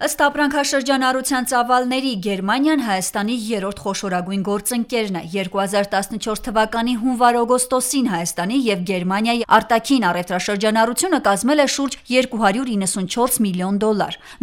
Ըստ ապրանքաշրջանառության ծավալների Գերմանիան Հայաստանի երրորդ խոշորագույն գործընկերն է։ 2014 թվականի հունվար-օգոստոսին Հայաստանի եւ Գերմանիայի արտաքին առևտրաշրջանառությունը կազմել է շուրջ $294 միլիոն։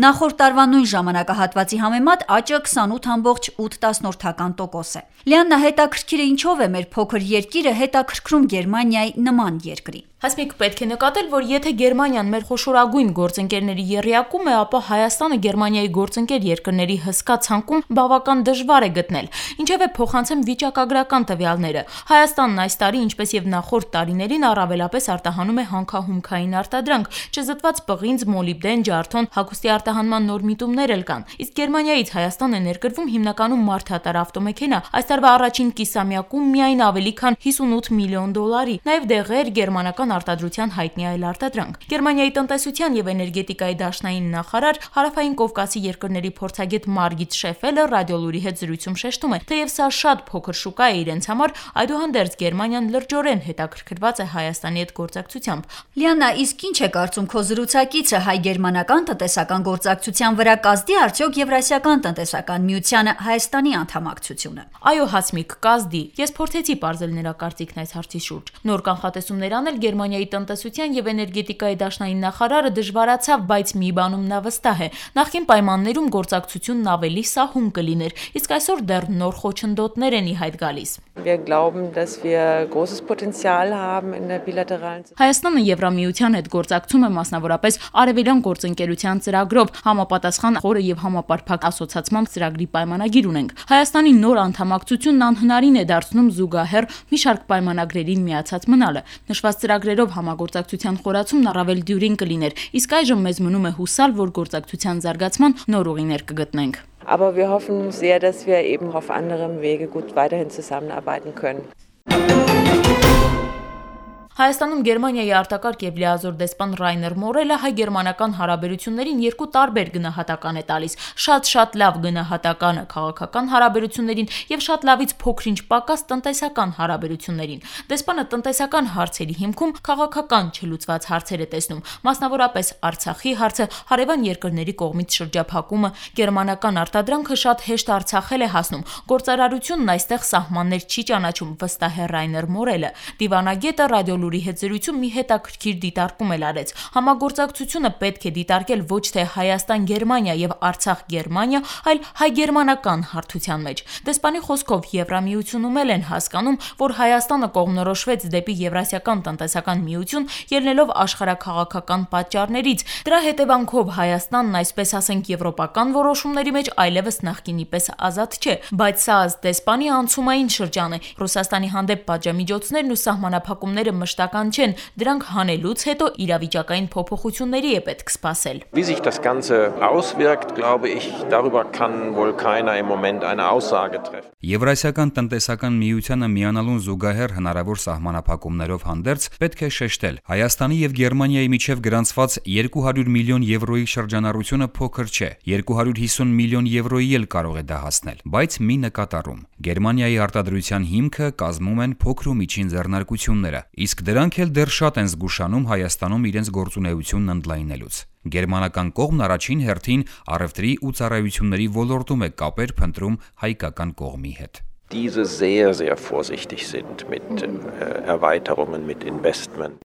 Նախորդ տարվա նույն ժամանակահատվածի համեմատ աճը 28.8% է։ Լիաննա, հետաքրքիր է ինչով է մեր փոքր երկիրը հետաքրքրում Գերմանիայի նման երկրի։ Հասմիկ, պետք է նկատել, որ եթե Գերմանիան մեր խոշորագույն գործընկերների եռյակում է, ապա Հայաստանը Գերմանիայի գործընկեր երկրների հսկա ցանկում բավական դժվար է գտնել։ Ինչևէ, փոխանցեմ վիճակագրական տվյալները։ Հայաստանն այս տարի, ինչպես եւ նախորդ տարիներին, առավելապես արտահանում է հանքահումքային արտադրանք, չզտված պղինձ, մոլիբդեն, ջարդոն, հագուստի արտահանման նոր միտումներ էլ կան։ Իսկ Գերմանիայից Հայաստան է ներկրվում հիմնականում մարդատար ավտոմեքենա, այս տարվա առաջին կիսամյակում միայն ավելի քան $58 միլիոն, նաեւ դեղեր, գերմանական արտադրության հայտնի այլ արտադրանք։ Գերմանիայի տնտեսության եւ էներգետիկայի դաշնային նախարար, Հարավային Կովկասի երկրների փորձագետ Մարգիտ Շեֆելը ռադիոլուրի հետ զրույցում շեշտում է, թեև սա շատ փոքր շուկա է իրենց համար, այդուհանդերձ Գերմանիան լրջորեն հետաքրքրված է Հայաստանի հետ գործակցությամբ։ Լիաննա, իսկ ինչ է կարծում քո զրուցակիցը հայ-գերմանական տնտեսական գործակցության վրա կազդի արդյոք Եվրասիական տնտեսական միությանը Հայաստանի անդամակցությունը։ Այո, Հասմիկ, կազդի։ Ես փորձեցի բարձել նրա կարծիքն այս հարցի շուրջ։ Նոր կանխատեսումներ անել Գերմանիայի տնտեսության եւ էներգետիկայի դաշնային նախարարը դժվարացավ, բայց մի բանում նա վստահ է։ Նախկին պայմաններում գործակցությունն ավելի սահուն կլիներ, իսկ այսօր դեռ նոր խոչընդոտներ են ի հայտ գալիս։ Wir glauben, dass wir großes Potenzial haben in der bilateralen Հայաստանը Եվրամիության հետ գործակցում է մասնավորապես արևելյան գործընկերության ծրագրով, համապատասխան խորը եւ համապարփակ ասոցիացման ծրագրի պայմանագիր ունենք։ Հայաստանի նոր անդամակցությունն անհնարին է դարձնում զուգահեռ մի շարք պայմանագրերին միացած մնալը։ Նշված ծրագրերով համագործակցության խորացումն առավել դյուրին կլիներ, իսկ այժմ մեզ մնում է հուսալ, որ գործակցության զարգացման նոր ուղիներ կգտնենք։ Aber wir hoffen sehr, dass wir eben auf anderem Wege gut weiterhin zusammenarbeiten können. Հայաստանում Գերմանիայի արտակարգ եւ լիազոր դեսպան Ռայներ Մորելը հայ-գերմանական հարաբերություններին երկու տարբեր գնահատական է տալիս՝ շատ լավ գնահատականը քաղաքական հարաբերություններին եւ շատ լավից փոքրինչ պակաս տնտեսական հարաբերություններին։ Դեսպանը տնտեսական հարցերի հիմքում քաղաքական չլուծված հարցեր է տեսնում, մասնավորապես Արցախի հարցը, հարևան երկրների կողմից շրջափակումը, գերմանական արտադրանքը շատ հեշտ Արցախել է հասնում, գործարարությունն այստեղ սահմաններ չի ճանաչում, վստահ է Ռայներ Մորելը։ Դիվանագետը ռադիոլուրի հետ զրույցում մի հետաքրքիր դիտարկում էլ արեց։ Համագործակցությունը պետք է դիտարկել ոչ թե Հայաստան-Գերմանիա եւ Արցախ-Գերմանիա, այլ հայ-գերմանական հարթության մեջ։ Դեսպանի խոսքով Եվրամիությունում էլ են հասկանում, որ Հայաստանը կողմնորոշվեց դեպի Եվրասիական տնտեսական միություն, ելնելով աշխարհաքաղաքական պատճառներից։ Դրա հետևանքով Հայաստանն, այսպես ասենք, եվրոպական որոշումների մեջ այլևս նախկինի պես ազատ չէ, բայց սա ըստ դեսպանի անցումային շրջան է։ Ռուսաստանի հանդեպ պատժամիջոցներն ու սահմանափակումները մշտական չեն, դրանք հանելուց հետո իրավիճակային փոփոխությունների է պետք սպասել։ Wie sich das Ganze auswirkt, glaube ich, darüber kann wohl keiner im Moment eine Aussage treffen. Եվրասիական տնտեսական միությանը միանալուն զուգահեռ հնարավոր սահմանափակումներով հանդերձ պետք է շեշտել, Հայաստանի եւ Գերմանիայի միջև գրանցված 200 միլիոն եվրոյի շրջանառությունը փոքր չէ, 250 միլիոն եվրոյի էլ կարող է դա հասնել, բայց մի նկատառում. Գերմանիայի արտադրության հիմքը կազմում են փոքր ու միջին ձեռնարկությունները, իսկ դրանք էլ դեռ շատ են զգուշանում Հայաստանում իրենց գործունեությունն ընդլայնելուց։ Գերմանական կողմն առաջին հերթին առևտրի ու ծառայությունների ոլորտում է կապեր փնտրում հայկական կողմի հետ։ Diese sehr vorsichtig sind mit Erweiterungen, mit Investment.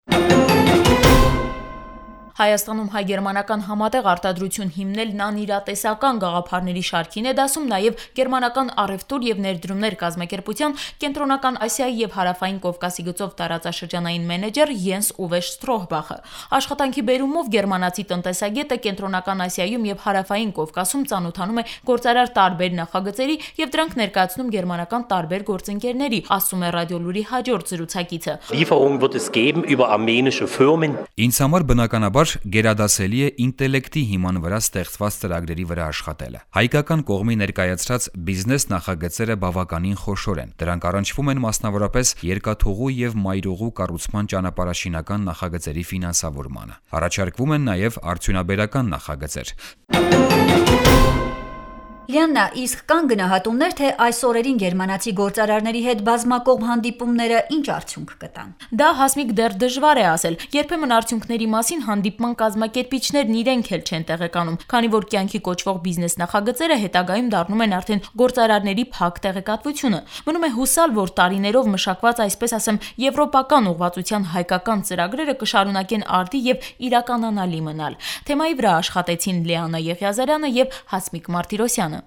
Հայաստանում հայ-գերմանական համատեղ արտադրություն հիմնելն անիրատեսական գաղափարների շարքին է դասում նաև գերմանական առևտուր եւ ներդրումներ կազմակերպության Կենտրոնական Ասիայի եւ Հարավային Կովկասի գծով տարածաշրջանային մենեջեր Յենս Ուվե Շտրոհբախը։ Աշխատանքի բերումով գերմանացի տնտեսագետը Կենտրոնական Ասիայում եւ Հարավային Կովկասում ծանոթանում է գործարար տարբեր նախագծերի եւ դրանք ներկայացնում գերմանական տարբեր գործընկերների, ասում է ռադիոլուրի հաջորդ զրուցակիցը։ Lieferung wird es geben über armenische Firmen. Ինձ համար բնականաբար գերադասելի է ինտելեկտի հիման վրա ստեղծված ծրագրերի վրա աշխատելը։ Հայկական կողմի ներկայացրած բիզնես նախագծերը բավականին խոշոր են։ Դրանք առնչվում են մասնավորապես երկաթուղու եւ մայրուղու կառուցման ճանապարհաշինական նախագծերի ֆինանսավորմանը։ Առաջարկվում են նաեւ արդյունաբերական նախագծեր։ Լիաննա, իսկ կան գնահատումներ, թե այս օրերին գերմանացի գործարարների հետ բազմակողմ հանդիպումները ինչ արդյունք կտան։ Դա Հասմիկ դեռ դժվար է ասել։ Երբեմն արդյունքների մասին հանդիպման կազմակերպիչներն իրենք էլ չեն տեղեկանում, քանի որ կյանքի կոչվող բիզնես նախագծերը հետագայում դառնում են արդեն գործարարների փակ տեղեկատվությունը։ Մնում է հուսալ, որ տարիներով մշակված, այսպես ասեմ, եվրոպական ուղղվածության հայկական ծրագրերը կշարունակեն արդի եւ իրականանալի մնալ։ Թեմայի վրա աշխատեցին Լիաննա Եղիազարյանը եւ Հասմիկ Մարտիրոսյանը։